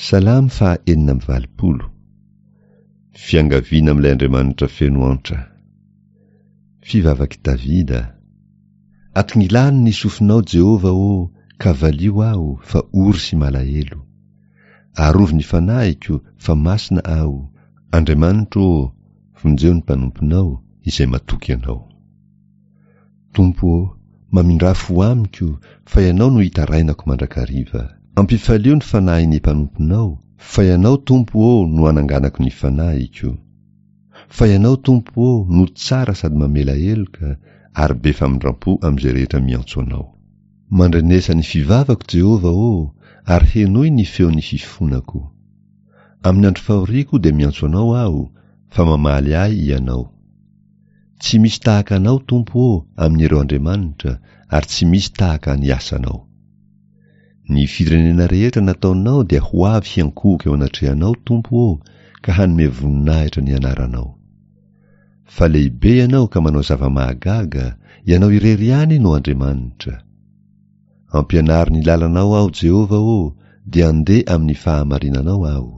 Salamo faha 86. Fiangaviana amin'ilay Andriamanitra feno antra. Fivavak'i Davida. Atongilano ny sofinao Jehovah ô, ka valio aho, fa ory sy malahelo. Arovy ny fanahiko, fa masina aho. Andriamanitro ô, vonjeo ny mpanomponao, izay matoky Anao. Tompo ô, mamindrà fo amiko, fa Ianao no itarainako mandrakariva. Ampifalio ny fanahin'ny mpanomponao, fa Ianao, Tompo ô, no ananganako ny fanahiko. Fa Ianao, Tompo ô, no tsara sady mamela heloka, ary be famindram-po amin'izay rehetra miantso Anao. Mandrenesa ny fivavako, Jehovah ô, ary henoy ny feon'ny fifonako. Amin'ny andro fahoriako dia miantso Anao aho, fa mamaly ahy Ianao. Tsy misy tahaka Anao, Tompo ô, amin'ireo andriamanitra, ary tsy misy tahaka ny asanao. Ny firenena rehetra nataonao dia ho avy hiankohoka eo anatrehanao, Tompo ô, ka hanome voninahitra ny anaranao. Fa lehibe Ianao ka manao zava-mahagaga, Ianao irery ihany no Andriamanitra. Ampianaro ny lalanao aho, Jehovah ô, dia andeha amin'ny fahamarinanao aho.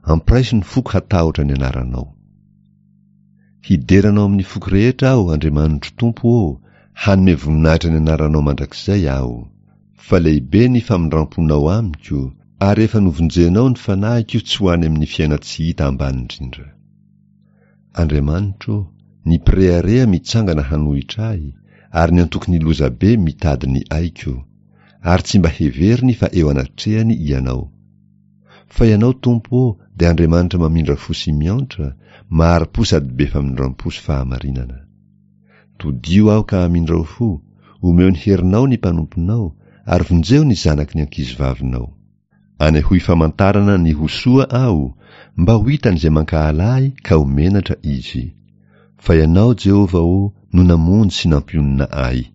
Ampiraiso ny foko hatahotra ny anaranao. Hidera Anao amin'ny foko rehetra aho, Andriamanitro Tompo ô, hanome voninahitra ny anaranao mandrakizay aho. Fa lehibe ny famindram-ponao amiko, ary efa novonjenao ny fanahiko tsy ho any amin'ny fiainan-tsy hita ambany indrindra. Andriamanitro ô, ny mpirehareha mitsangana hanohitra ahy, ary ny antokon'ny lozabe mitady ny aiko, ary tsy mba heveriny fa eo anatrehany Ianao. Fa Ianao, Tompo ô, dia Andriamanitra mamindra fo sy miantra, mahari-po sady be famindram-po sy fahamarinana. Todio aho ka amindrao fo, omeo ny herinao ny mpanomponao, ary vonjeo ny zanaky ny ankizivavinao. Anehoy famantarana ny ho soa aho, mba ho hitan'izay mankahala ahy ka ho menatra izy. Fa Ianao, Jehovah ô, no namonjy sy nampionona ahy.